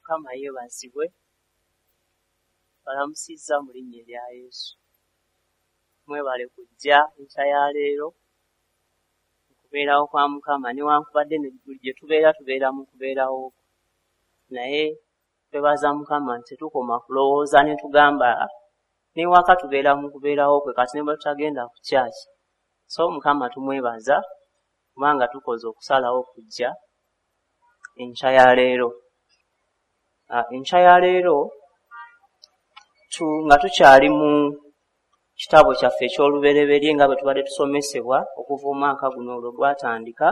Mukama yeebazibwe. Balamusizza mu linnya erya Yesu. Mwebale kujja enkya ya leero okubeerawo kwa Mukama, newankubadde buli gye tubeera tubeera mu kubeerawo kwe. Naye twebaza Mukama nti tetukoma kulowooza ne tugamba n'ewaka tubeera mu kubeerawo kwe, kati ne bwe tutagenda ku church. So Mukama tumwebaza kubanga tukoze okusalawo okujja enkya ya leero. Enkya ya leero nga tukyali mu kitabo kyaffe eky'olubereberye nga bwe tubadde tusomesebwa okuva omwaka guno olwo gwatandika,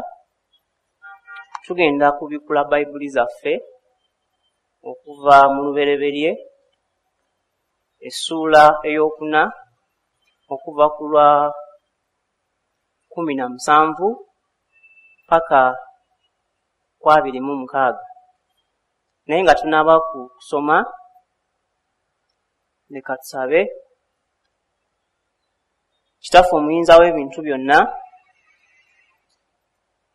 tugenda kubikkula Bayibuli zaffe okuva mu lubereberye essuula 4 okuva ku lwa 17 paka ku 26. Naye nga tunaaba kusoma, leka tusabe. Kitaffe omuyinza w'ebintu byonna,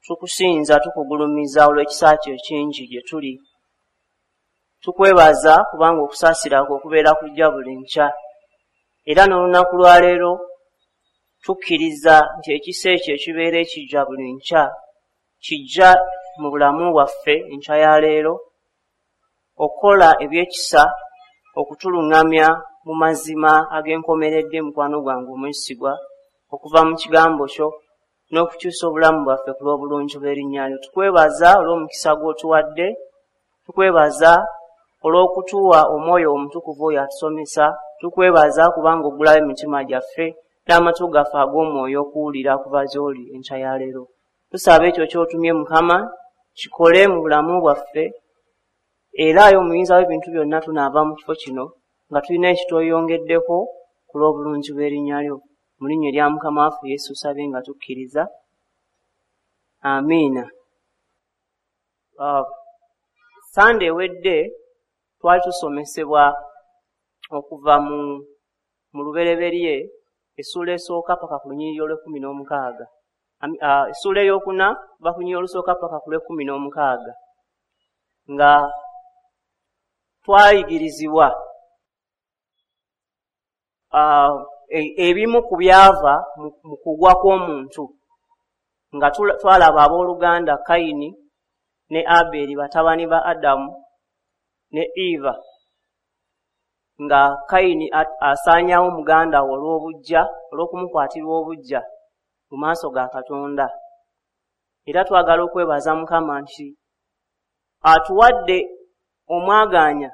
tukusinza, tukugulumiza olw'ekisa kyo ekingi gye tuli. Tukwebaza kubanga okusaasira kwo okubeera kujja buli nkya. Era n'olunaku lwa leero tukkiriza nti ekisa ekyo ekibeera ekijja buli nkya kijja mu bulamu bwaffe enkya ya leero, okukola eby'ekisa, okutuluŋŋamya mu mazima ag'enkomeredde, mukwano gwange omwesigwa, okuva mu kigambo kyo n'okukyusa obulamu bwaffe ku lw'obulungi bw'erinnya lyo. Tukwebaza olw'omukisa gw'otuwadde, tukwebaza olw'okutuwa omwoyo omutukuvu oyo atusomesa, tukwebaza kubanga oggulawo emitima gyaffe n'amatu gaffe ag'omwoyo okuwulira okuva gy'oli enkya ya leero. Tusaba ekyo ky'otumye Mukama kikole mu bulamu bwaffe, era ayi omuyinza w'ebintu byonna tunaava mu kifo kino nga tulina ekitweyongeddeko ku lw'obulungi bw'erinnya lyo. Mu linnya erya Mukama waffe Yesu tusabye nga tukkiriza. Amiina. Sande ewedde twali tusomesebwa okuva mu lubereberye essuula esooka paka ku lunyiriri olw'e16. Essuula 4 kuva ku lunyiriri olusooka paka ku lw'e16, nga twayigirizibwa ebimu ku byava mu kugwa kw'omuntu, nga twalaba abooluganda Kayini ne Aberi batabani ba Adamu ne Eva, nga Kayini asaanyaawo muganda we olw'obuggya, olw'okumukwatirwa obuggya mu maaso ga Katonda. Era twagala okwebaza Mukama nti atuwadde omwagaanya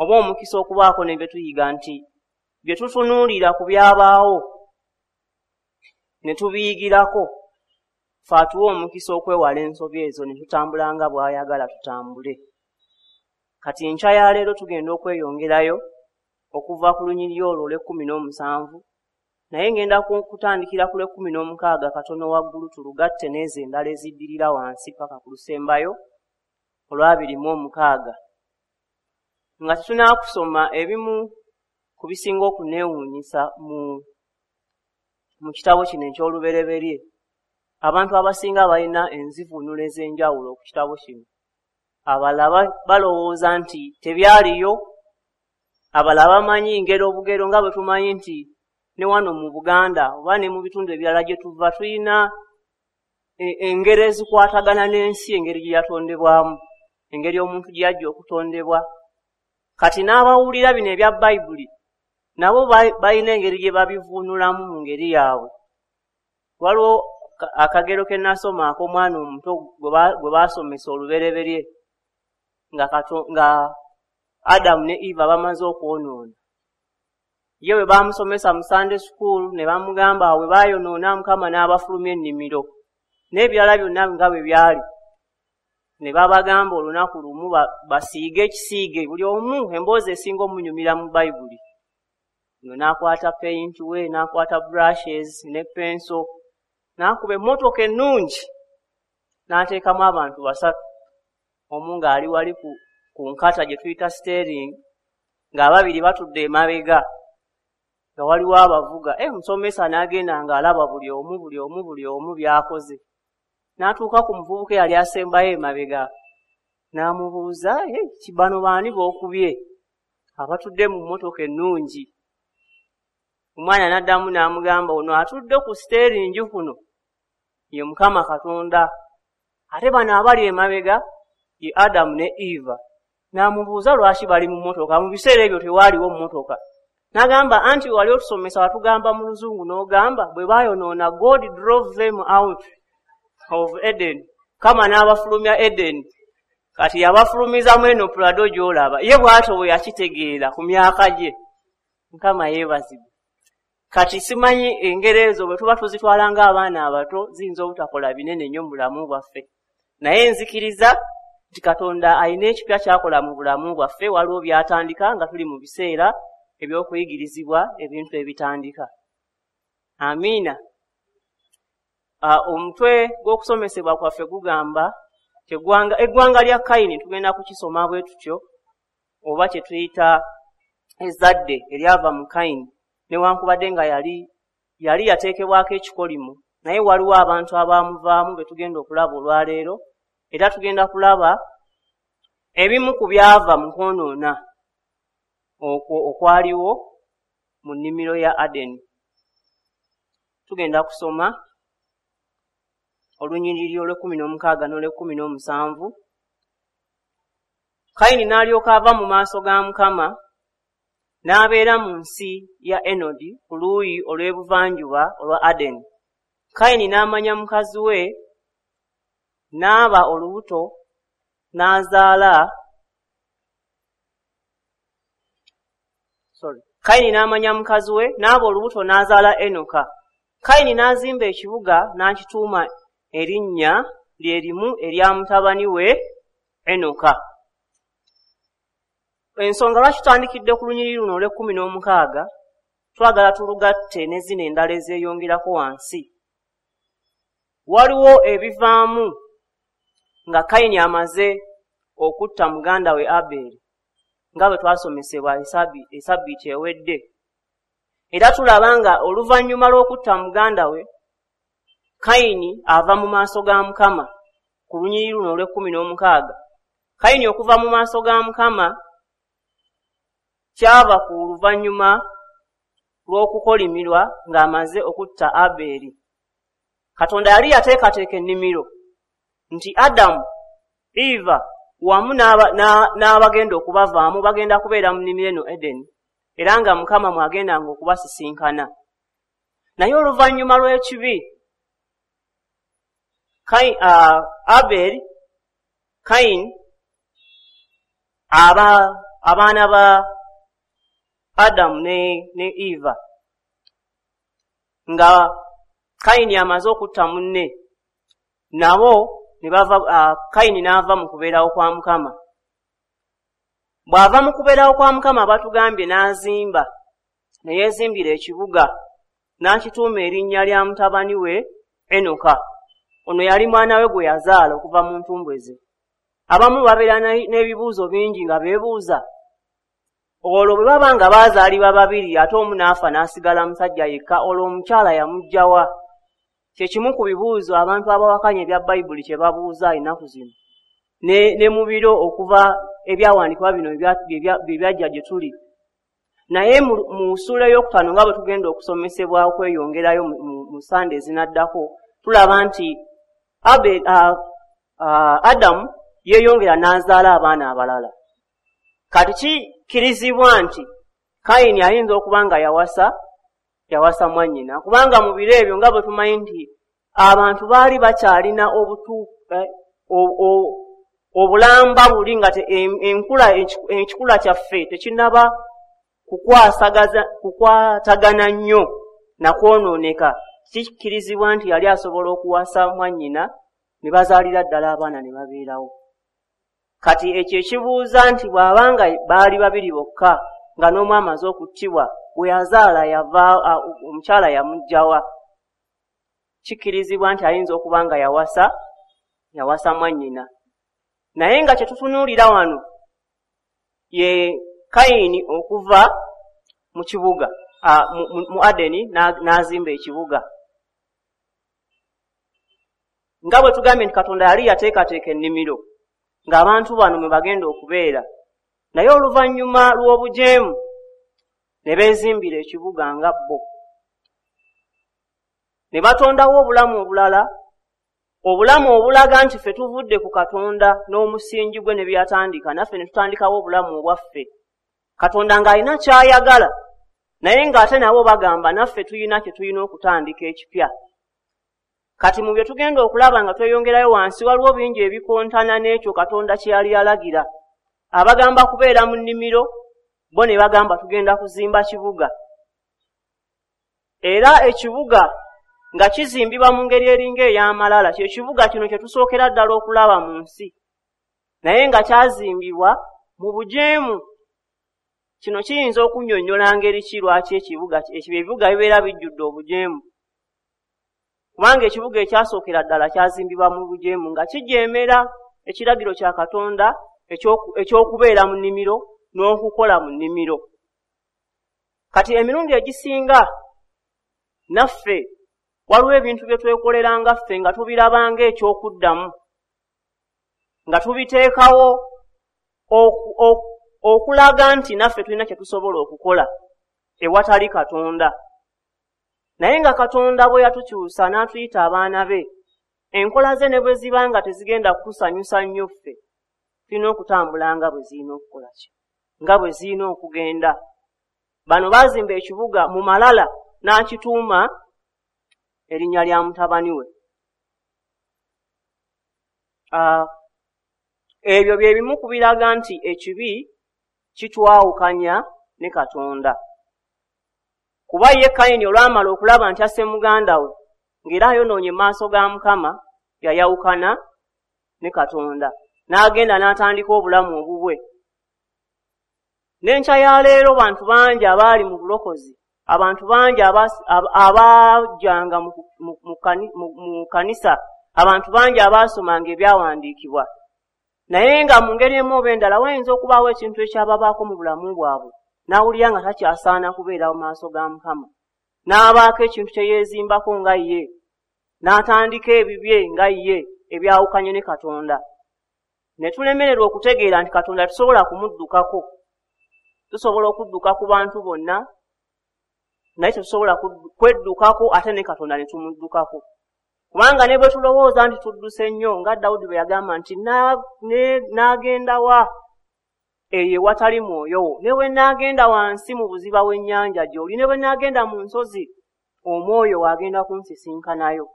oba omukisa okubaako ne bye tuyiga, nti bye tutunuulira ku byabaawo ne tubiyigirako, ffe atuwa omukisa okwewala ensobi ezo ne tutambula nga bw'ayagala tutambule. Kati enkya ya leero tugenda okweyongerayo okuva ku lunyiriri olwo olw'e17, naye ngenda kutandikira ku lw'e16 katono waggulu, tulugatte n'ezo endala eziddirira wansi paka ku lusembayo olw'26. Nga tetunaakusoma ebimu ku bisinga okuneewuunyisa mu kitabo kino eky'olubereberye, abantu abasinga balina enzivuunula ez'enjawulo ku kitabo kino. Abalala balowooza nti tebyaliyo, abalala bamanyi ngero obugero, nga bwe tumanyi nti ne wano mu Buganda oba ne mu bitundu ebirala gye tuva tulina engero ezikwatagana n'ensi, engeri gye yatondebwamu, engeri omuntu gye yajja okutondebwa. Kati n'abawulira bino ebya Bayibuli nabo balina engeri gye babivuunulamu mu ngeri yaabwe. Waliwo akagero ke nasoma ak'omwana omuto gwe baasomesa olubereberye, nga Adamu ne Eva bamaze okwonoona. Ye bwe baamusomesa mu Sunday school ne bamugamba bwe baayonoona Mukama n'abafulumya ennimiro n'ebirala byonna nga bwe byali, ne babagamba olunaku lumu basiige ekisiige buli omu emboozi esinga omunyumira mu Bayibuli. No n'akwata paint we, n'akwata brushes ne pencil, n'akuba emmotoka ennungi n'ateekamu abantu basatu, omu ng'ali wali ku nkata gye tuyita steering, ng'ababiri batudde emabega, nga waliwo abavuga. Omusomesa n'agenda ng'alaba buli omu buli omu buli omu by'akoze, n'atuuka ku muvubuka eyali asembayo emabega, N'amubuuza, "Bano baani b'okubye abatudde mu mmotoka ennungi?" Omwana n'addamu n'amugamba, "Ono atudde ku siteeringi kuno ye Mukama Katonda, ate bano abali emabega ye Adamu ne Eva." N'amubuuza lwaki bali mu mmotoka. Mu biseera ebyo tewaaliwo mmotoka. N'agamba, "Anti wali otusomesa watugamba mu Luzungu n'ogamba bwe baayonoona, God drove them out of Eden, Mukama n'abafulumya Eden, kati yabafulumizamu eno Prado gy'olaba." Ye bw'atyo bwe yakitegeera ku myaka gye. Mukama yeebazibwe. Kati simanyi engero ezo bwe tuba tuzitwala ng'abaana abato ziyinza obutakola binene nnyo mu bulamu bwaffe, naye nzikiriza nti Katonda alina ekipya ky'akola mu bulamu bwaffe. Waliwo by'atandika nga tuli mu biseera ebyokuyigirizibwa ebintu ebitandika. Amiina. Omutwe gw'okusomesebwa kwaffe gugamba eggwanga lya Kayini. Tugenda kukisoma bwe tutyo, oba kye tuyita ezzadde eryava mu Kayini. Newankubadde nga yali yateekebwako ekikolimo, naye waliwo abantu abaamuvaamu be tugenda okulaba olwaleero. Era tugenda kulaba ebimu ku byava mu kwonoona okwo okwaliwo mu nnimiro ya Adeni. Tugenda kusoma olunyiriri olw'e16 n'olw'e17. Kayini n'alyoka ava mu maaso ga Mukama, n'abeera mu nsi ya Enodi ku luuyi olw'ebuvanjuba olwa Adeni. Kayini n'amanya mukazi we, n'aba olubuto, n'azaala. Kayini n'amanya mukazi we, n'aba olubuto, n'azaala Enoka. Kayini n'azimba ekibuga n'akituuma erinnya lye limu erya mutabani we Enoka. Ensonga lwaki tutandikidde ku lunyiriri luno olw'e16, twagala tulugatte ne zino endala ezeeyongerako wansi. Waliwo ebivaamu nga Kayini amaze okutta muganda we Abeeri, nga bwe twasomesebwa esabbiiti ewedde. Era tulaba nga oluvannyuma lw'okutta muganda we, Kayini ava mu maaso ga Mukama ku lunyiriri luno olw'e16. Kayini okuva mu maaso ga Mukama kyava ku luvannyuma lw'okukolimirwa ng'amaze okutta Abeeri. Katonda yali yateekateeka ennimiro nti Adamu, Eva wamu n'abagenda okubavaamu bagenda kubeera mu nnimiro eno Edeni, era nga Mukama mw'agendanga okubasisinkana. Naye oluvannyuma lw'ekibi, Abeeri, Kayini, abaana ba Adamu ne Eva, nga Kayini amaze okutta munne, nabo ne bava. Kayini n'ava mu kubeerawo kwa Mukama. Bw'ava mu kubeerawo kwa Mukama, batugambye n'azimba, ne yeezimbira ekibuga n'akituuma erinnya lya mutabani we Enoka. Ono yali mwana we gwe yazaala okuva mu ntumbwe ze. Abamu babeera n'ebibuuzo bingi nga beebuuza, olwo bwe baba nga baazaalibwa babiri ate omu n'afa n'asigala musajja yekka, olwo omukyala yamuggya wa? Kye kimu ku bibuuzo abantu abawakanya ebya Bayibuli kye babuuza ennaku zino ne mu biro okuva ebyawandiikibwa bino bye byajja gye tuli. Naye mu ssuula ey'okutaano, nga bwe tugenda okusomesebwa okweyongerayo mu Sande ezinaddako, tulaba nti Adamu yeeyongera n'azaala abaana abalala. Kati kikkirizibwa nti Kayini ayinza okuba nga yawasa mwannyina, kubanga mu biro ebyo nga bwe tumanyi nti abantu baali bakyalina obulamba buli nga enkikula kyaffe tekinnaba kukwatagana nnyo na kwonooneka. Kikkirizibwa nti yali asobola okuwasa mwannyina ne bazaalira ddala abaana ne babeerawo. Kati ekyo ekibuuza nti bw'abanga baali babiri bokka nga n'omu amaze okuttibwa, bwe yazaala yava omukyala yamuggyawa? Kikkirizibwa nti ayinza okuba nga yawasa mwannyina. Naye nga kye tutunuulira wano ye Kayini okuva mu kibuga mu Adeni n'azimba ekibuga. Nga bwe tugambye nti Katonda yali yateekateeka ennimiro ng'abantu bano mwe bagenda okubeera. Naye oluvannyuma lw'obujeemu ne beezimbira ekibuga nga bo, ne batondawo obulamu obulala, obulamu obulaga nti ffe tuvudde ku Katonda n'omusingi gwe ne byatandika, naffe ne tutandikawo obulamu obwaffe. Katonda ng'alina ky'ayagala, naye ng'ate nabo bagamba naffe tulina kye tulina okutandika ekipya. Kati mu bye tugenda okulaba nga tweyongerayo wansi, waliwo bingi ebikontana n'ekyo Katonda kye yali yalagira. Abagamba kubeera mu nnimiro, bo ne bagamba tugenda kuzimba kibuga. Era ekibuga nga kizimbibwa mu ngeri eringa ey'amalala, kye kibuga kino kye tusookera ddala okulaba mu nsi, naye nga kyazimbibwa mu bujeemu. Kino kiyinza okunnyonnyola ngeri ki lwaki ebibuga bibeera bijjudde obujeemu, kubanga ekibuga ekyasookera ddala kyazimbibwa mu bujeemu nga kijeemera ekiragiro kya Katonda eky'okubeera mu nnimiro n'okukola mu nnimiro. Kati emirundi egisinga naffe waliwo ebintu bye twekoleranga ffe nga tubirabanga eky'okuddamu, nga tubiteekawo okulaga nti naffe tulina kye tusobola okukola ewatali Katonda. Naye nga Katonda bwe yatukyusa n'atuyita abaana be, enkola ze ne bwe ziba nga tezigenda kutusanyusa nnyo ffe, tulina okutambula nga bwe zirina okukola ki, nga bwe zirina okugenda. Bano baazimba ekibuga mu malala n'akituuma erinnya lya mutabani we. Ebyo bye bimu ku biraga nti ekibi kitwawukanya ne Katonda. Kuba ye Kayini olwamala okulaba nti asse muganda we ng'era ayonoonye mu maaso ga Mukama, yayawukana ne Katonda n'agenda n'atandika obulamu obubwe. N'enkya ya leero bantu bangi abaali mu bulokozi, abantu bangi abajjanga mu kanisa, abantu bangi abaasomanga ebyawandiikibwa, naye nga mu ngeri emu oba endala wayinza okubaawo ekintu ekyababaako mu bulamu bwabwe, n'awulira nga takyasaana kubeera mu maaso ga Mukama, n'abaako ekintu kye yeezimbako nga ye, n'atandika ebibye nga ye ebyawukanye ne Katonda. Ne tulemererwa okutegeera nti Katonda tusobola kumuddukako. Tusobola okudduka ku bantu bonna, naye tetusobola kweddukako ate ne Katonda ne tumuddukako. Kubanga ne bwe tulowooza nti tudduse nnyo, nga Dawudi bwe yagamba nti n'agenda wa eyo ewatali mwoyo wo, ne bwe naagenda wansi mu buziba bw'ennyanja gy'oli, ne bwe naagenda mu nsozi, omwoyo agenda kunsisinkanayo.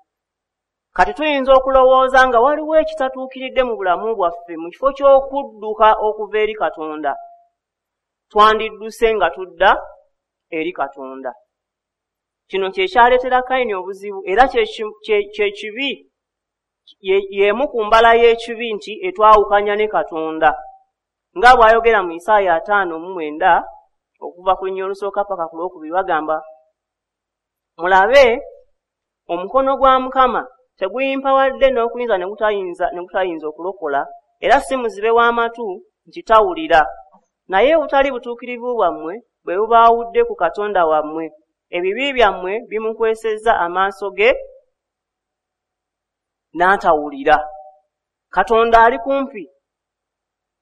Kati tuyinza okulowooza nga waliwo ekitatuukiridde mu bulamu bwaffe, mu kifo ky'okudduka okuva eri Katonda, twandidduse nga tudda eri Katonda. Kino kye kyaleetera Kayini obuzibu, era kye kibi, y'emu ku mbala y'ekibi nti etwawukanya ne Katonda. Nga bw'ayogera mu Isaaya 59 okuva ku lunyiriri olusooka paka ku lwokubiri, bagamba, mulabe omukono gwa Mukama teguyimpawadde n'okuyinza ne gutayinza okulokola, era si muzibe w'amatu nti tawulira. Naye obutali butuukirivu bwammwe bwe bubaawudde ku Katonda wammwe, ebibi byammwe bimukwesezza amaaso ge n'atawulira. Katonda ali kumpi.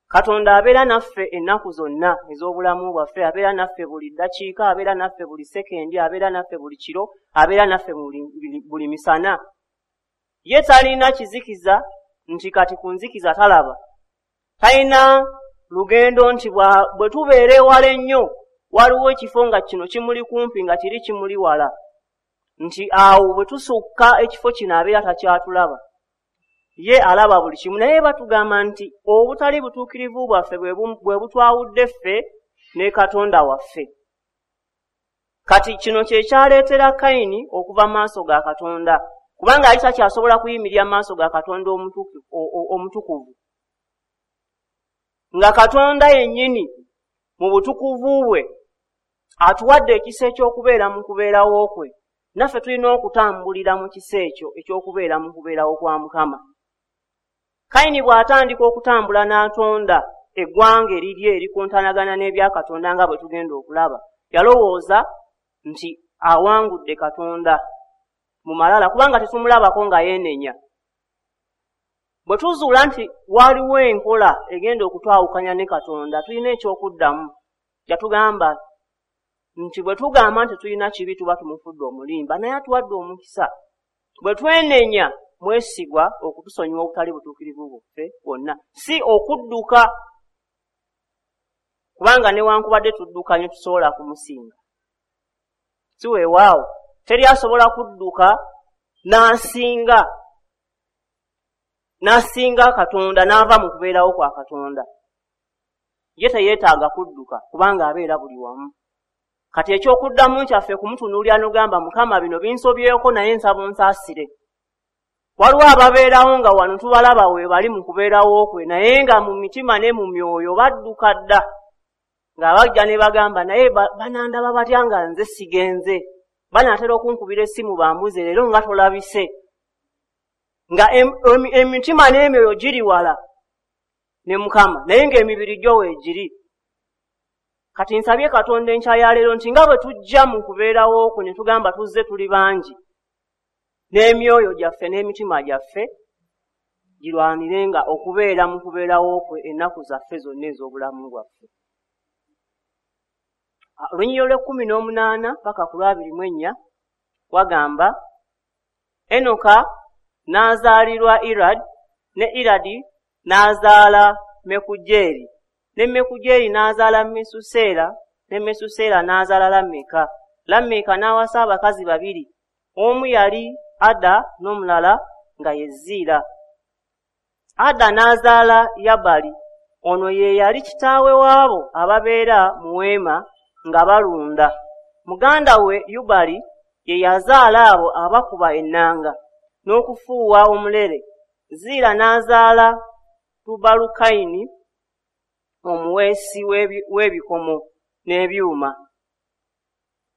Katonda abeera naffe ennaku zonna ez'obulamu bwaffe, abeera naffe buli ddakiika, abeera naffe buli sekendi, abeera naffe buli kiro, abeera naffe buli misana. Ye talina kizikiza nti kati ku nzikiza talaba. Talina lugendo nti bwe tubeera ewala ennyo, waliwo ekifo nga kino kimuli kumpi nga kiri kimuli wala, nti awo bwe tusukka ekifo kino abeera takyatulaba. Ye alaba buli kimu. Naye batugamba nti obutali butuukirivu bwaffe bwe butwawudde ffe ne Katonda waffe. Kati kino kye kyaleetera Kayini okuva mu maaso ga Katonda, kubanga yali takyasobola kuyimirira mu maaso ga Katonda omutukuvu. Nga Katonda yennyini mu butukuvu bwe atuwadde ekisa eky'okubeera mu kubeerawo kwe, naffe tulina okutambulira mu kisa ekyo eky'okubeera mu kubeerawo kwa Mukama. Kayini bw'atandika okutambula n'atonda eggwanga erirye erikontanagana n'ebya Katonda nga bwe tugenda okulaba, yalowooza nti awangudde Katonda mu malala, kubanga tetumulabako nga yeenenya. Bwe tuzuula nti waliwo enkola egenda okutwawukanya ne Katonda, tulina ekyokuddamu. Yatugamba nti bwe tugamba nti tulina kibi tuba tumufudde omulimba, naye atuwadde omukisa. Bwe twenenya mwesigwa okutusonyiwa obutali butuukirivu bwaffe bwonna, si okudduka, kubanga newankubadde tudduka nnyo tusobola kumusinga. Si weewaawo, teri asobola kudduka n'asinga Katonda n'ava mu kubeerawo kwa Katonda. Ye teyeetaaga kudduka kubanga abeera buli wamu. Kati ekyokuddamu kyaffe kumutunuulira n'ogamba, Mukama bino binsobyeko naye nsaba onsaasire. Waliwo ababeerawo nga wano tubalaba we bali mu kubeerawo kwe, naye nga mu mitima ne mu myoyo badduka dda, nga bajja ne bagamba, naye banandaba batya nga nze sigenze, banaatera okunkubira essimu bambuze leero nga tolabise, nga emitima n'emyoyo giri wala ne Mukama, naye ng'emibiri gyo weegiri. Kati nsabye Katonda enkya ya leero nti nga bwe tujja mu kubeerawo kwe ne tugamba tuzze tuli bangi, n'emyoyo gyaffe n'emitima gyaffe girwanirenga okubeera mu kubeerawo kwe ennaku zaffe zonna ez'obulamu bwaffe. Olunyiriri olw'ekkumi n'omunaana paka ku lw'abiri mu ennya wagamba, Enoka n'azaalirwa Iradi, ne Iradi n'azaala Mekujeeri, ne Mekujeeri n'azaala Mesuseera, ne Mesuseera n'azaala Lameka. Lameka n'awasa abakazi babiri, omu yali Ada n'omulala nga ye Ziira. Ada n'azaala Yabali, ono ye yali kitaawe waabo ababeera mu weema nga balunda. Muganda we Yubali ye yazaala abo abakuba ennanga n'okufuuwa omulere. Ziira n'azaala Tubalukayini omuweesi w'ebikomo n'ebyuma,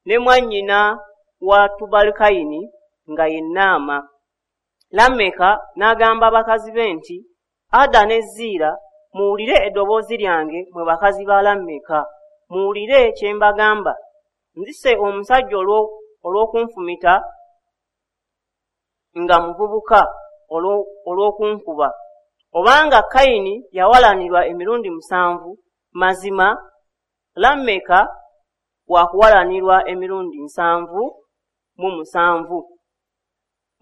ne mwannyina wa Tubalukayini nga ye Naama. Lameka n'agamba bakazi be nti, Ada ne Ziira, muwulire eddoboozi lyange mwe bakazi ba Lameka, muwulire kye mbagamba. Nzise omusajja olw'okunfumita nga muvubuka olw'okunkuba. Obanga Kayini yawalanirwa emirundi 7, mazima Lameka wakuwalanirwa emirundi 77.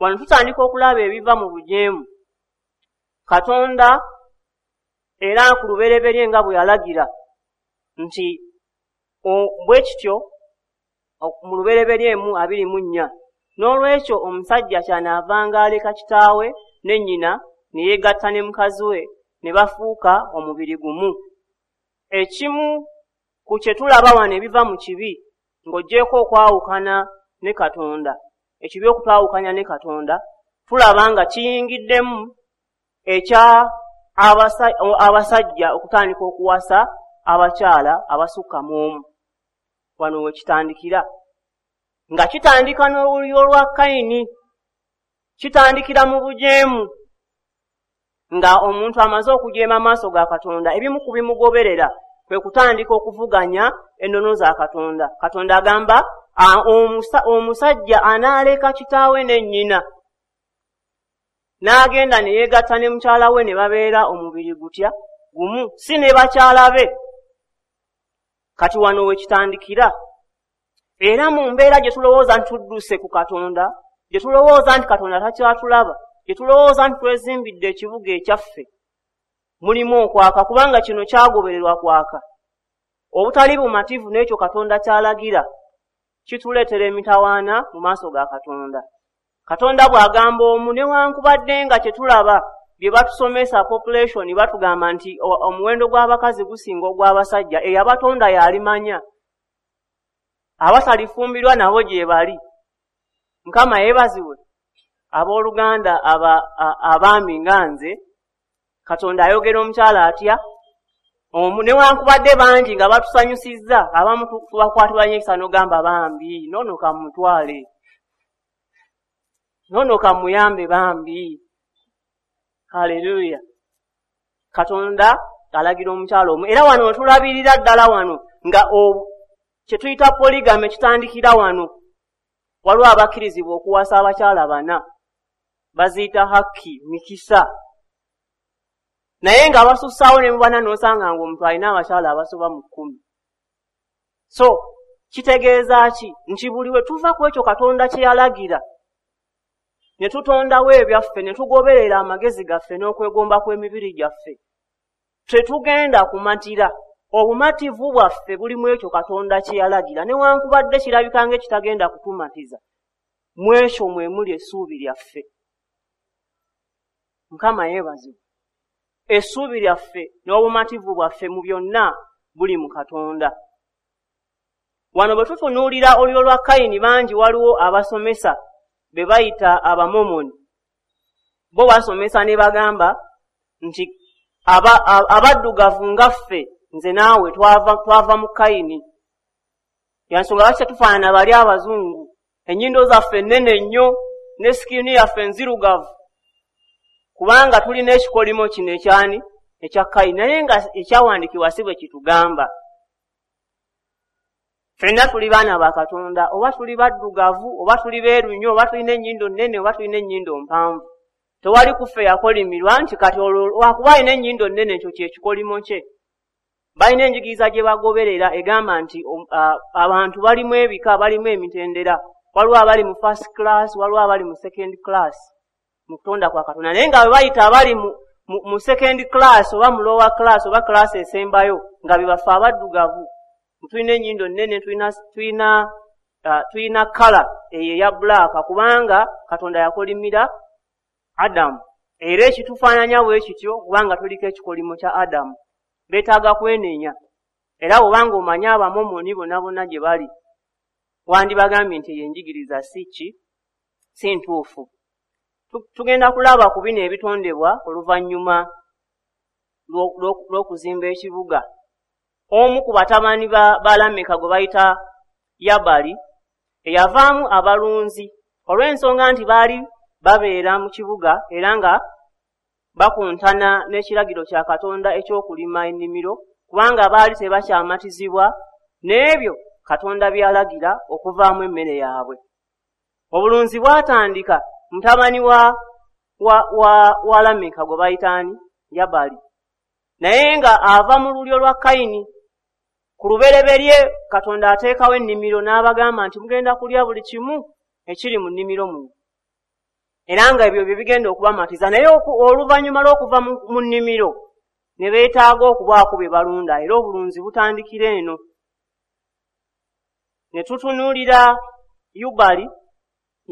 Wano tutandika okulaba ebiva mu bujeemu. Katonda era ku lubereberye nga bwe yalagira nti bwe kityo mu lubereberye 1:24, n'olwekyo omusajja kyanaavanga aleka kitaawe ne nnyina ne yeegatta ne mukazi we ne bafuuka omubiri gumu. Ekimu ku kye tulaba wano ebiva mu kibi, ng'oggyeko okwawukana ne Katonda, ekibi okutwawukanya ne Katonda, tulaba nga kiyingiddemu ekya abasajja okutandika okuwasa abakyala abasukka mu omu. Wano we kitandikira, nga kitandika n'olulyo lwa Kayini, kitandikira mu bujeemu, nga omuntu amaze okujeema amaaso ga Katonda, ebimu ku bimugoberera kwe kutandika okuvuganya ennono za Katonda. Katonda agamba omusajja anaaleka kitaawe ne nnyina n'agenda ne yeegatta ne mukyala we ne babeera omubiri gutya gumu, si ne bakyala be. Kati wano we kitandikira. Era mu mbeera gye tulowooza nti tudduse ku Katonda, gye tulowooza nti Katonda takyatulaba, gye tulowooza nti twezimbidde ekibuga ekyaffe, mulimu okwaka, kubanga kino kyagobererwa kwaka. Obutali bumativu n'ekyo Katonda ky'alagira kituleetera emitawaana mu maaso ga Katonda. Katonda bw'agamba omu, newankubadde nga kye tulaba bye batusomesa population, batugamba nti omuwendo gw'abakazi gusinga ogw'abasajja, eyabatonda y'alimanya, abatalifumbirwa nabo gye bali. Mukama yeebazibwe. Abooluganda abaami nga nze, Katonda ayogera omukyala atya? Newankubadde bangi nga batusanyusizza, abamu tubakwatibwa nnyo ekisa n'ogamba bambi, noono kamutwale, noono kamuyambe bambi. Haleluya. Katonda alagira omukyala omu. Era wano wetulabirira ddala wano nga kye tuyita polygamy kitandikira wano. Waliwo abakkirizibwa okuwasa abakyala 4, baziyita haki, mikisa. Naye nga basussaawo ne mu bana n'osanga ng'omuntu alina abakyala abasoba mu 10. So kitegeeza ki? Nti buli we tuva ku ekyo Katonda kye yalagira, ne tutondawo ebyaffe, ne tugoberera amagezi gaffe n'okwegomba kw'emibiri gyaffe, tetugenda kumatira. Obumativu bwaffe buli mu ekyo Katonda kye yalagira, newankubadde kirabika ng'ekitagenda kutumatiza, mu ekyo mwe muli essuubi lyaffe. Mukama yeebazibwe. Essuubi lyaffe n'obumativu bwaffe mu byonna buli mu Katonda. Wano bwe tutunuulira olulyo lwa Kayini, bangi waliwo abasomesa be bayita Abamomoni. Bo basomesa ne bagamba nti abaddugavu nga ffe, nze naawe twava mu Kayini. Yansonga lwaki tetufaanana bali abazungu? Ennyindo zaffe nnene nnyo ne sikini yaffe nzirugavu, kubanga tulina ekikolimo kino ekyani ekya Kayini. Naye nga ekyawandiikibwa si bwe kitugamba. Ffenna tuli baana ba Katonda, oba tuli baddugavu, oba tuli beeru nnyo, oba tulina ennyindo nnene, oba tulina ennyindo mpanvu. Tewali kuffe yakolimirwa nti kati olwo lwakuba alina ennyindo nnene ekyo kye kikolimo kye. Balina enjigiriza gye bagoberera egamba nti abantu balimu ebika, balimu emitendera. Waliwo abali mu first class, waliwo abali mu second class mu kutonda kwa Katonda. Naye nga bwe bayita abali mu second class oba mu lower class oba class esembayo, nga be baffe abaddugavu. Tulina ennyindo nnene, tulina kala eyo eya black, kubanga Katonda yakolimira Adamu. Era ekitufaananya bwe kityo kubanga tuliko ekikolimo kya Adamu. Beetaaga kwenenya. Era bw'obanga omanyi Abamomoni bonna bonna gye bali, wandibagambye nti eyo enjigiriza si ki, si ntuufu. Tugenda kulaba ku bino ebitondebwa oluvannyuma lw'okuzimba ekibuga. Omu ku batabani ba Lameka gwe bayita Yabali, eyavaamu abalunzi olw'ensonga nti baali babeera mu kibuga era nga bakuntana n'ekiragiro kya Katonda eky'okulima ennimiro, kubanga baali tebakyamatizibwa n'ebyo Katonda by'alagira okuvaamu emmere yaabwe. Obulunzi bwatandika mutabani wa Lameka gwe bayita ani? Yabali. Naye nga ava mu lulyo lwa Kayini. Ku lubereberye Katonda ateekawo ennimiro n'abagamba nti mugenda kulya buli kimu ekiri mu nnimiro muno, era nga ebyo bye bigenda okubamatiza. Naye oluvannyuma lw'okuva mu nnimiro ne beetaaga okubaako bye balunda, era obulunzi butandikira eno. Ne tutunuulira Yubali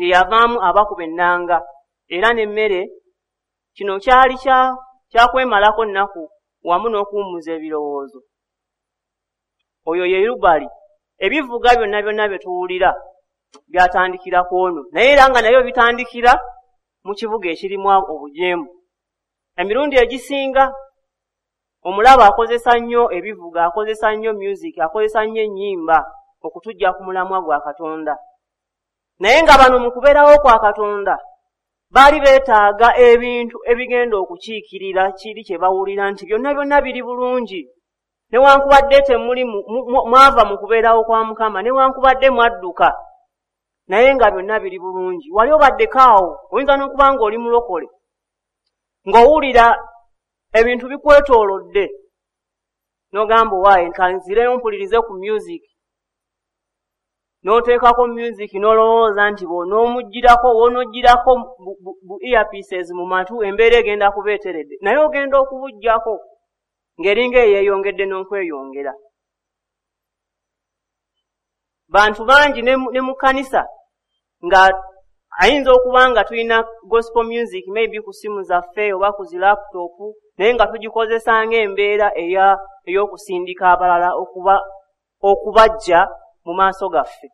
ye yavaamu abakuba ennanga era n'emmere. Kino kyali kyakwemalako nnaku wamu n'okuwummuza ebirowoozo. Oyo ye Yubali. Ebivuga byonna byonna bye tuwulira byatandikira ku ono, naye era nga nabyo bitandikira mu kibuga ekirimu obujeemu. Emirundi egisinga omulaba akozesa nnyo ebivuga, akozesa nnyo music, akozesa nnyo ennyimba okutujja ku mulamwa gwa Katonda. Naye nga bano mu kubeerawo kwa Katonda baali beetaaga ebintu ebigenda okukiikirira kiri kye bawulira nti byonna byonna biri bulungi. Newankubadde temuli mwava mu kubeerawo kwa Mukama, newankubadde mwadduka, naye nga byonna biri bulungi. Wali obaddeko awo, oyinza n'okuba ng'oli mulokole, ng'owulira ebintu bikwetoolodde, n'ogamba owaaye kanzireyo mpulirize ku music. N'oteekako music n'olowooza nti bw'onoomuggyirako, w'onooggyirako bu earpieces mu matu, embeera egenda kuba eteredde. Naye ogenda okubuggyako ng'eringa eyeeyongedde n'okweyongera. Bantu bangi ne mu kkanisa nga ayinza okuba nga tulina gospel music maybe ku ssimu zaffe oba ku zi laptop, naye nga tugikozesa ng'embeera ey'okusindika abalala okubajja mu maaso gaffe.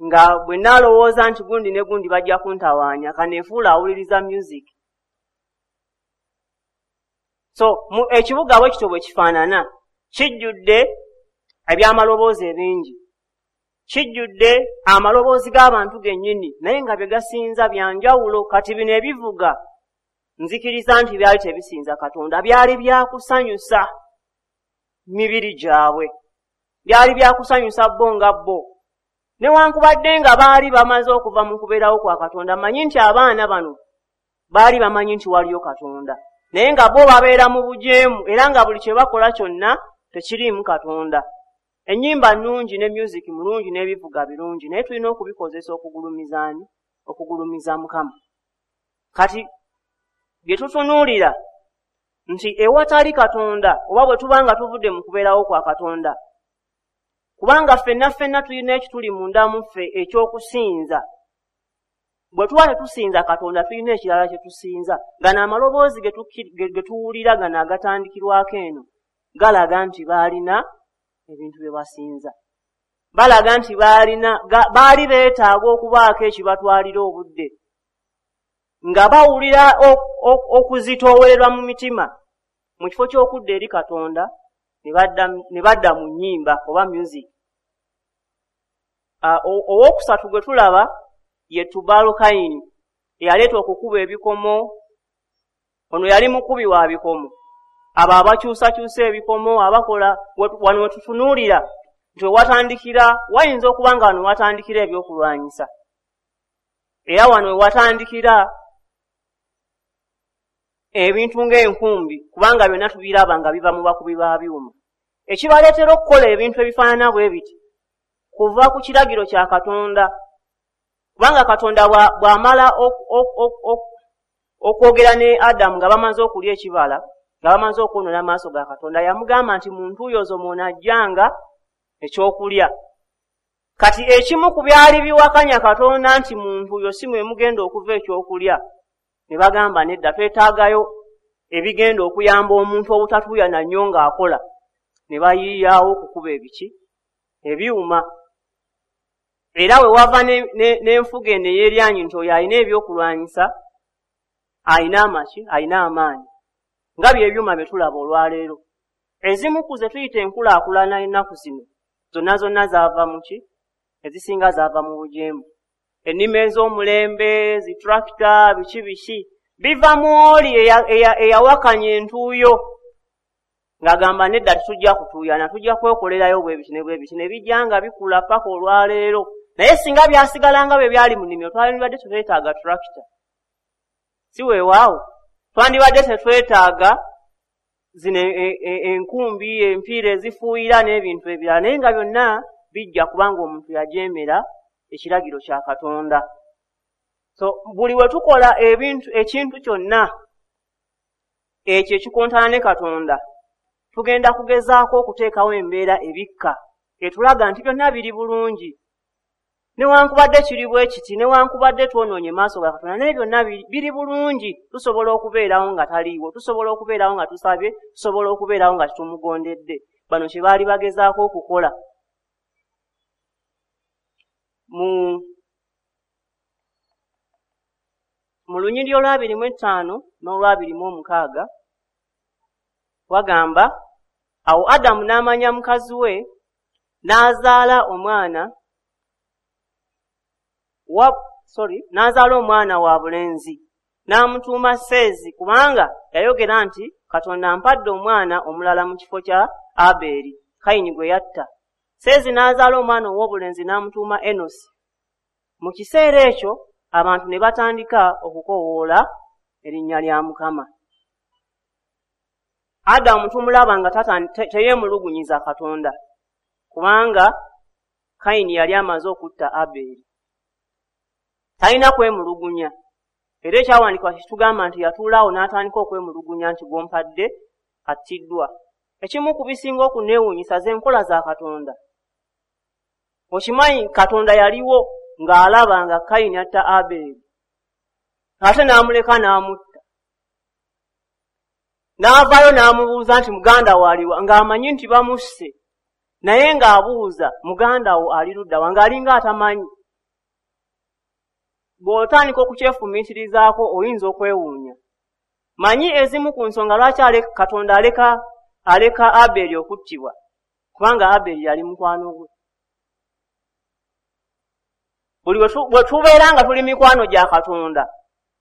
Nga bwe naalowooza nti gundi ne gundi bajja kuntawaanya, kaneefuula awuliriza music. So ekibuga bwe kityo bwe kifaanana, kijjudde ebyamaloboozi ebingi, kijjudde amaloboozi g'abantu gennyini, naye nga bye gasinza bya njawulo. Kati bino ebivuga nzikiriza nti byali tebisinza Katonda, byali byakusanyusa mibiri gyabwe, byali byakusanyusa bo nga bo. Newankubadde nga baali bamaze okuva mu kubeerawo kwa Katonda, manyi nti abaana bano baali bamanyi nti waliyo Katonda. Naye nga bo babeera mu bujeemu era nga buli kye bakola kyonna tekiriimu Katonda. Ennyimba nnungi ne music mulungi n'ebivuga birungi, naye tulina okubikozesa okugulumiza ani? Okugulumiza Mukama. Kati bye tutunuulira nti ewatali Katonda, oba bwe tuba nga tuvudde mu kubeerawo kwa Katonda, kubanga ffenna ffenna tulina ekituli munda mu ffe eky'okusinza. Bwe tuba tetusinza Katonda, tulina ekirala kye tusinza. Gano amaloboozi ge tuwulira gano agatandikirwako eno galaga nti baalina ebintu bye basinza. Balaga nti baali beetaaga okubaako ekibatwalira obudde, nga bawulira okuzitoowererwa mu mitima. Mu kifo ky'okudda eri Katonda ne badda mu nnyimba oba music. Owookusatu gwe tulaba ye Tubalukayini, eyaleeta okukuba ebikomo. Ono yali mukubi wa bikomo. Abo abakyusakyusa ebikomo, abakola wano we tutunuulira nti wewatandikira, wayinza okuba nga wano watandikira ebyokulwanyisa, era wano wewatandikira ebintu ng'enkumbi, kubanga byonna tubiraba nga biva mu bakubi ba byuma. Ekibaleetera okukola ebintu ebifaanana bwe biti kuva ku kiragiro kya Katonda, kubanga Katonda bw'amala okwogera ne Adamu nga bamaze okulya ekibala, nga bamaze okwonoona amaaso ga Katonda, yamugamba nti mu ntuuyo zo mw'onajjanga ekyokulya. Kati ekimu ku byali biwakanya Katonda nti mu ntuuyo si mwe mugenda okuva ekyokulya, ne bagamba nedda, twetaagayo ebigenda okuyamba omuntu obutatuuyana nnyo ng'akola. Ne bayiiyaawo okukuba ebiki? Ebyuma. Era we wava n'enfuga eno ey'eryanyi nti oyo alina ebyokulwanyisa alina amaki, alina amaanyi, nga by'ebyuma bye tulaba olwaleero. Ezimu ku ze tuyita enkulaakulana ennaku zino zonna zonna zaava mu ki? Ezisinga zaava mu bujeemu. Ennima ez'omulembe, zitrakita, biki biki, biva mu oli eyawakanya entuuyo ng'agamba nedda tetujja kutuuyana, tujja kwekolerayo bwe biti ne bwe biti, ne bijja nga bikula paka olwaleero. Naye singa byasigala nga bwe byali mu nnimiro, twandibadde tetwetaaga tractor, si weewaawo? Twandibadde tetwetaaga zino enkumbi, empiira ezifuuyira n'ebintu ebirala, naye nga byonna bijja kubanga omuntu yajeemera ekiragiro kya Katonda. So buli we tukola ebintu, ekintu kyonna ekyo ekikontana ne Katonda, tugenda kugezaako okuteekawo embeera ebikka etulaga nti byonna biri bulungi, newankubadde kiri bwe kiti, newankubadde twonoonye maaso ga Katonda, naye byonna biri bulungi. Tusobola okubeerawo nga taliiwo, tusobola okubeerawo nga tusabye, tusobola okubeerawo nga tetumugondedde. Bano kye baali bagezaako okukola. Mu lunyiriri olw'25 n'olw'26 wagamba, awo Adamu n'amanya mukazi we, n'azaala omwana n'azaala omwana wa bulenzi, n'amutuuma Seezi, kubanga yayogera nti Katonda ampadde omwana omulala mu kifo kya Abeeri, Kayini gwe yatta. Seezi n'azaala omwana ow'obulenzi n'amutuuma Enosi. Mu kiseera ekyo abantu ne batandika okukoowoola erinnya lya Mukama. Adamu tumulaba nga teyeemulugunyiza Katonda, kubanga Kayini yali amaze okutta Abeeri. Talina kwemulugunya. Era ekyawandiikibwa kitugamba nti yatuulaawo n'atandika okwemulugunya nti gw'ompadde attiddwa. Ekimu ku bisinga okunneewuunyisa z'enkola za Katonda. Okimanyi Katonda yaliwo ng'alaba nga Kayini atta Abeeri, ate n'amuleka n'amutta. N'avaayo n'amubuuza nti muganda wo aliwa, ng'amanyi nti bamusse, naye ng'abuuza muganda wo ali ludda wa, ng'alinga atamanyi. Bw'otandika okukyefumiitirizaako oyinza okwewuunya. Manyi ezimu ku nsonga lwaki Katonda aleka Abeeri okuttibwa, kubanga Abeeri yali mukwano gwe. Buli bwe tubeera nga tuli mikwano gya Katonda,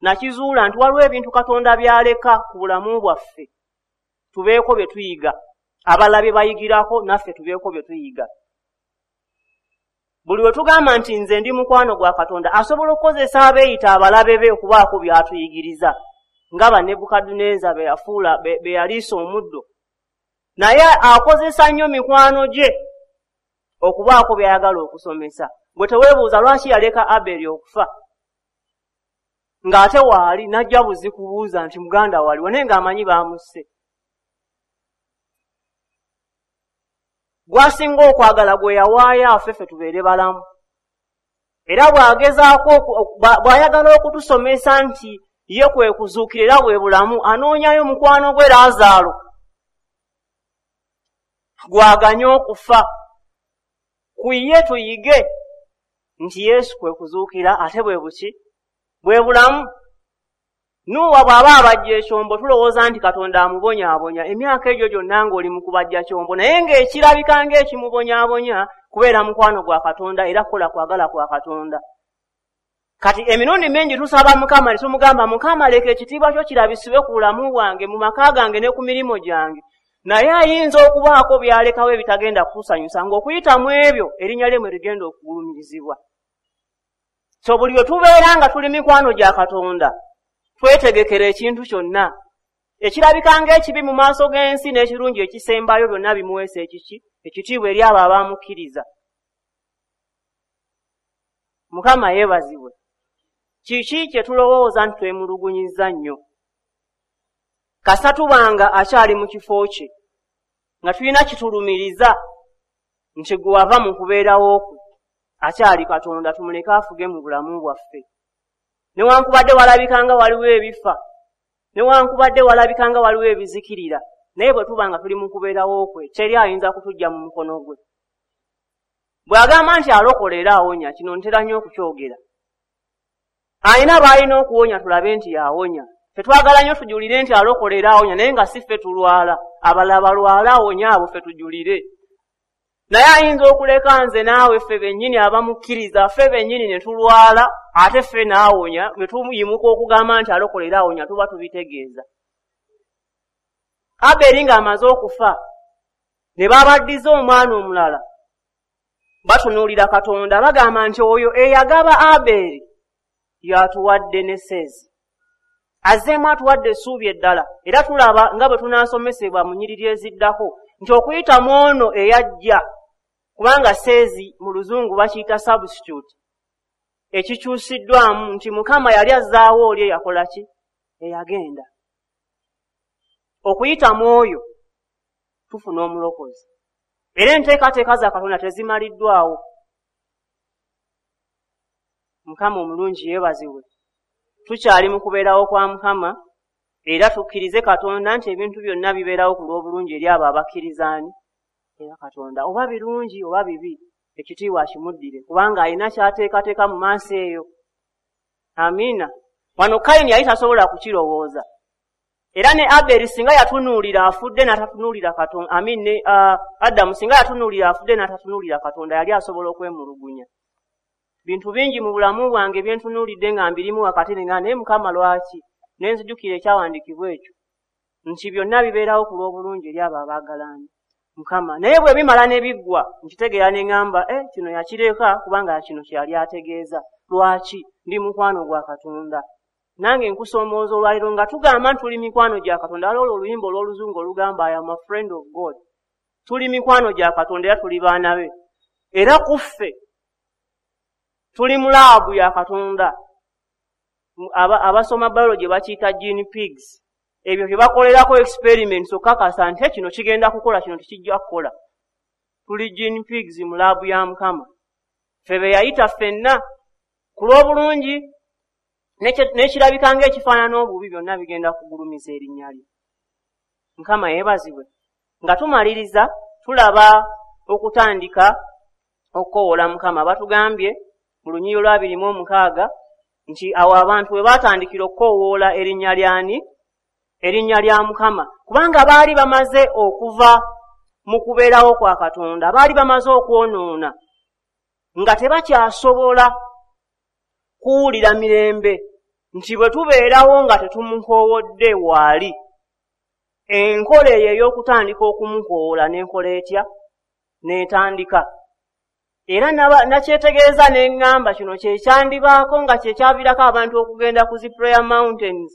nakizuula nti waliwo ebintu Katonda by'aleka ku bulamu bwaffe tubeeko bye tuyiga, abalala bye bayigirako naffe tubeeko bye tuyiga. Buli we tugamba nti nze ndi mukwano gwa Katonda, asobola okukozesa abeeyita abalabe be okubaako by'atuyigiriza. nga ba Nebukadduneeza be yafuula be yaliisa omuddo. Naye akozesa nnyo mikwano gye okubaako by'ayagala okusomesa. Gwe teweebuuza lwaki yaleka Aberi okufa, ng'ate waali n'ajja buzi kubuuza nti muganda waliwo, naye ng'amanyi baamusse. Gw'asinga okwagala gwe yawaayo afe ffe tubeere balamu. Era bw'agezaako bw'ayagala okutusomesa nti ye kwe kuzuukira era bwe bulamu, anoonyayo mukwano gwe Laazaalo gw'aganye okufa. Ku ye tuyige nti Yesu kwe kuzuukira ate bwe buki? Bwe bulamu. Nuuwa bw'aba abajja ekyombo tulowooza nti Katonda amubonyaabonya emyaka egyo gyonna ng'oli mu kubajja kyombo, naye ng'ekirabika ng'ekimubonyaabonya kubeera mukwano gwa Katonda era kukola kwagala kwa Katonda. Kati emirundi mingi tusaba Mukama ne tumugamba, Mukama leka ekitiibwa kyo kirabisibwe ku bulamu bwange, mu maka gange ne ku mirimu gyange. Naye ayinza okubaako by'alekawo ebitagenda kutusanyusa, ng'okuyita mu ebyo erinnya lye mwe ligenda okugulumirizibwa. So buli lwe tubeera nga tuli mikwano gya Katonda, twetegekera ekintu kyonna ekirabika ng'ekibi mu maaso g'ensi n'ekirungi ekisembayo, byonna bimuweesa ekiki? Ekitiibwa eri abo abamukkiriza. Mukama yeebazibwe. Kiki kye tulowooza nti twemulugunyizza nnyo? Kasita tubanga akyali mu kifo kye, nga tulina kitulumiriza nti gwe wava mu kubeerawo kwe, akyali Katonda, tumuleke afuge mu bulamu bwaffe. Newankubadde walabika nga waliwo ebifa, newankubadde walabika nga waliwo ebizikirira, naye bwe tuba nga tuli mu kubeerawo kwe, teri ayinza kutuggya mu mukono gwe. Bw'agamba nti alokola era awonya, kino ntera nnyo okukyogera. Alina b'alina okuwonya tulabe nti yawonya. Tetwagala nnyo tujulire nti alokola era awonya, naye nga si ffe tulwala, abalala balwala awonya abo ffe tujulire. Naye ayinza okuleka nze naawe ffe bennyini abamukkiriza, ffe bennyini ne tulwala, ate ffe n'awonya, bwe tuyimuka okugamba nti alokola era awonya tuba tubitegeeza. Aberi ng'amaze okufa, ne babaddiza omwana omulala, batunuulira Katonda, bagamba nti oyo eyagaba Aberi y'atuwadde ne Seezi. Azzeemu atuwadde essuubi eddala, era tulaba nga bwe tunaasomesebwa mu nnyiriri eziddako nti okuyita mu ono eyajja, kubanga Seezi mu Luzungu bakiyita substitute, ekikyusiddwamu nti Mukama yali azzaawo oli eyakola ki? Eyagenda. Okuyita mu oyo tufuna omulokozi. Era enteekateeka za Katonda tezimaliddwawo. Mukama omulungi yeebazibwe. Tukyali mu kubeerawo kwa Mukama, era tukkirize Katonda nti ebintu byonna bibeerawo ku lw'obulungi eri abo abakkirizaani era Katonda, oba birungi oba bibi, ekitiibwa akimuddire, kubanga alina ky'ateekateeka mu maaso eyo. Amiina. Wano Kayini yali tasobola kukirowooza. Era ne Aberi singa yatunuulira afudde n'atatunuulira Katonda, amiin, ne Adamu singa yatunuulira afudde n'atatunuulira Katonda, yali asobola okwemulugunya. Bintu bingi mu bulamu bwange bye ntunuulidde nga mbirimu wakati nenga naye Mukama lwaki? Ne nzijukira ekyawandiikibwa ekyo nti byonna bibeerawo ku lw'obulungi eri abo abaagalaani Mukama. Naye bwe bimala ne biggwa nkitegeera ne ŋŋamba, kino yakireka kubanga kino kye yali ategeeza. Lwaki? Ndi mukwano gwa Katonda. Nange nkusoomooza olwaleero nga tugamba nti tuli mikwano gya Katonda. Waliwo oluyimba olw'Oluzungu olugamba I am a friend of God. Tuli mikwano gya Katonda era tuli baana be. Era ku ffe tuli mu laabu ya Katonda. Abasoma biology bakiyita gene pigs. Ebyo bye bakolerako experiments okukakasa nti kino kigenda kukola, kino tekijja kukola. Tuli gene pigs mu laabu ya Mukama. Ffe be yayita ffenna ku lw'obulungi n'ekirabika ng'ekifaanana obubi, byonna bigenda kugulumiza erinnya lye. Mukama yeebazibwe. Nga tumaliriza tulaba okutandika okukoowoola Mukama. Batugambye mu lunyiriri olwa 26 nti awo abantu we baatandikira okukoowoola erinnya ly'ani? Erinnya lya Mukama. Kubanga baali bamaze okuva mu kubeerawo kwa Katonda, baali bamaze okwonoona nga tebakyasobola kuwulira mirembe nti bwe tubeerawo nga tetumukoowodde waali. Enkola eyo ey'okutandika okumukoowoola n'enkola etya? N'etandika. Era nakyetegeeza ne ŋŋamba kino kye kyandibaako nga kye kyaviirako abantu okugenda ku zi prayer mountains.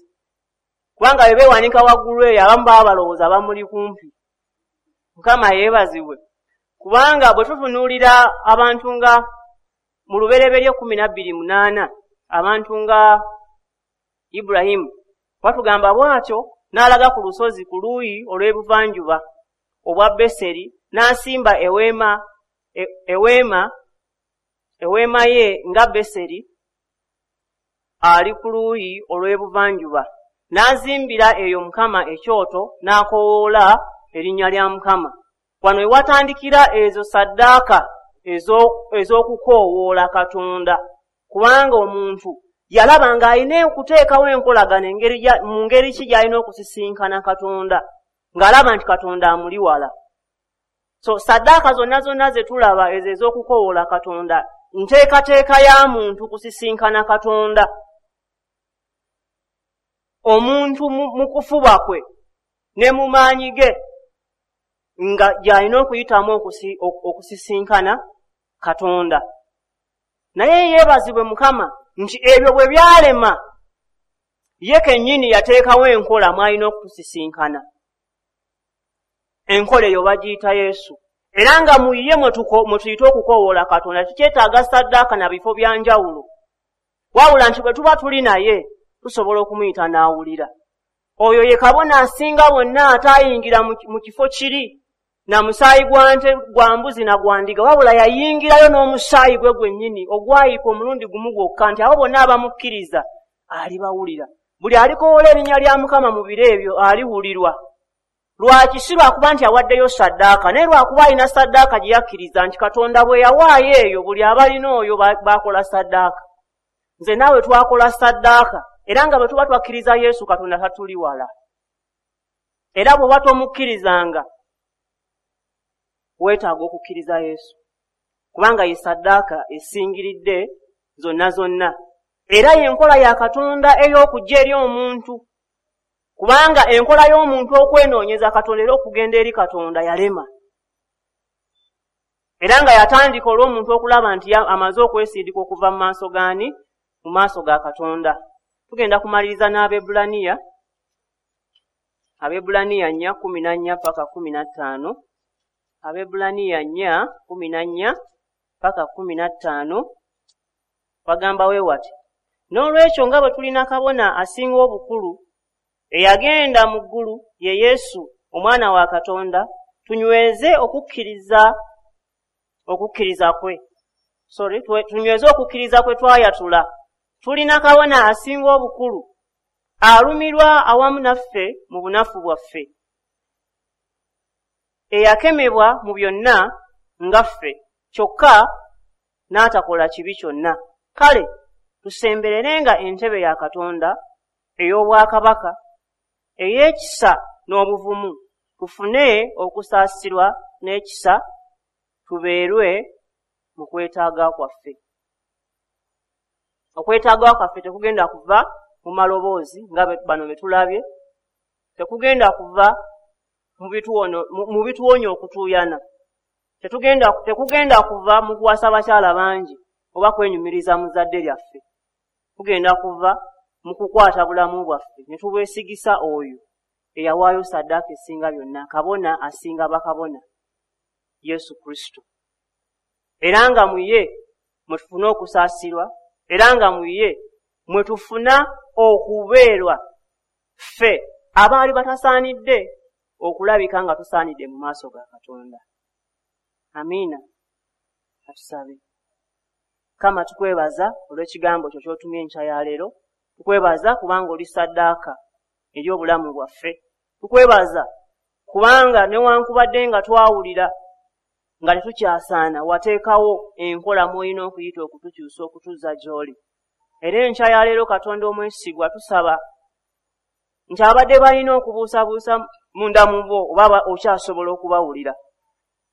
Kubanga bwe beewanika waggulu eyo abamu baba balowooza bamuli kumpi. Mukama yeebazibwe. Kubanga bwe tutunuulira abantu nga mu Lubereberye 12:8, abantu nga Ibulayimu batugamba bw'atyo n'alaga ku lusozi ku luuyi olw'ebuvanjuba obwa Beseri, n'asimba eweema ye nga Beseri ali ku luuyi olw'ebuvanjuba, n'azimbira eyo Mukama ekyoto, n'akoowoola erinnya lya Mukama. Wano we watandikira ezo saddaaka ez'okukoowoola Katonda, kubanga omuntu yalaba ng'alina okuteekawo enkolagano mu ngeri ki gy'alina okusisinkana Katonda, ng'alaba nti Katonda amuli wala. So saddaaka zonna zonna ze tulaba ezo ez'okukoowoola Katonda, nteekateeka ya muntu kusisinkana Katonda. Omuntu mu kufuba kwe ne mu maanyi ge nga gy'alina okuyitamu okusisinkana Katonda. Naye yeebazibwe Mukama nti ebyo bwe byalema, ye kennyini yateekawo enkola mw'alina okutusisinkana. Enkola eyo bagiyita Yesu. Era nga mu ye mwe tuyita okukoowoola Katonda, tukyetaaga saddaaka na bifo bya njawulo. Wabula nti bwe tuba tuli naye, tusobola okumuyita n'awulira. Oyo ye kabona asinga bonna ataayingira mu kifo kiri na musaayi gwa nte, gwa mbuzi na gwa ndiga, wabula yayingirayo n'omusaayi gwe gwennyini ogwayiika omulundi gumu gwokka, nti abo bonna abamukkiriza alibawulira. Buli alikowoola erinnya lya Mukama mu biro ebyo aliwulirwa. Lwaki? Si lwakuba nti awaddeyo saddaaka, naye lwakuba alina saddaaka gye yakkiriza nti Katonda bwe yawaayo eyo buli abalina oyo baakola saddaaka. Nze naawe twakola saddaaka, era nga bwe tuba twakkiriza Yesu Katonda tatuli wala. Era bw'oba tomukkirizanga, weetaaga okukkiriza Yesu, kubanga ye saddaaka esingiridde zonna zonna. Era y'enkola ya Katonda ey'okujja eri omuntu, kubanga enkola y'omuntu okwenoonyeza Katonda era okugenda eri Katonda yalema. Era nga yatandika olw'omuntu okulaba nti amaze okwesindika okuva mu maaso gaani? Mu maaso ga Katonda. Tugenda kumaliriza n'Abebbulaniya. Abebbulaniya 4:14-15. Abebbulaniya 4:14-15 bagamba we wati: N'olwekyo nga bwe tulina kabona asinga obukulu eyagenda mu ggulu, ye Yesu omwana wa Katonda, tunyweze okukkiriza kwe. Sorry, tunyweze okukkiriza kwe twayatula. Tulina kabona asinga obukulu alumirwa awamu naffe mu bunafu bwaffe, eyakemebwa mu byonna nga ffe, kyokka n'atakola kibi kyonna. Kale tusembererenga entebe ya Katonda ey'obwakabaka ey'ekisa n'obuvumu, tufune okusaasirwa n'ekisa, tubeerwe mu kwetaaga kwaffe. Okwetaaga kwaffe tekugenda kuva mu maloboozi nga bano be tulabye, tekugenda kuva mu bituwonya okutuuyana, tekugenda kuva mu kuwasa bakyala bangi oba kwenyumiriza mu zadde lyaffe. Kugenda kuva mu kukwata bulamu bwaffe ne tubwesigisa oyo eyawaayo saddaaka esinga byonna, kabona asinga bakabona, Yesu Kristo. Era nga mu ye mwe tufuna okusaasirwa, era nga mu ye mwe tufuna okubeerwa ffe abaali batasaanidde okulabika nga tusaanidde mu maaso ga Katonda. Amiina. Atusabe. Kama tukwebaza olw'ekigambo kyo ky'otumye enkya ya leero. Tukwebaza kubanga oli saddaaka eri obulamu bwaffe. Tukwebaza kubanga newankubadde nga twawulira nga tetukyasaana, wateekawo enkola mw'olina okuyita okutukyusa okutuzza gy'oli. Era enkya ya leero Katonda omwesigwa tusaba nti abadde balina okubuusabuusa munda mu bo oba okyasobola okubawulira.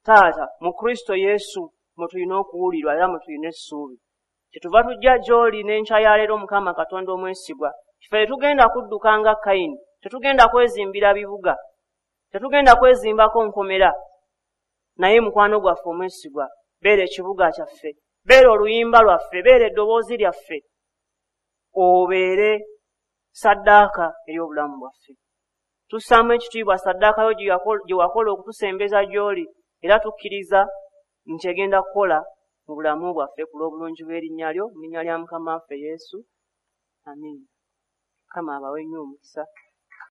Taata, mu Kristo Yesu mwe tulina okuwulirwa era mwe tulina essuubi. Kyetuva tujja gy'oli n'enkya ya leero Mukama Katonda omwesigwa. Ffe tetugenda kudduka nga Kayini, tetugenda kwezimbira bibuga, tetugenda kwezimbako nkomera. Naye mukwano gwaffe omwesigwa, beera ekibuga kyaffe, beera oluyimba lwaffe, beera eddoboozi lyaffe, obeere Saddaaka eri obulamu bwaffe. Tussaamu ekitiibwa saddaaka yo gye wakola okutusembeza gy'oli, era tukkiriza nti egenda kukola mu bulamu bwaffe ku lw'obulungi bw'erinnya lyo, mu linnya lya Mukama waffe Yesu. Amiina. Mukama abawe nnyo omukisa.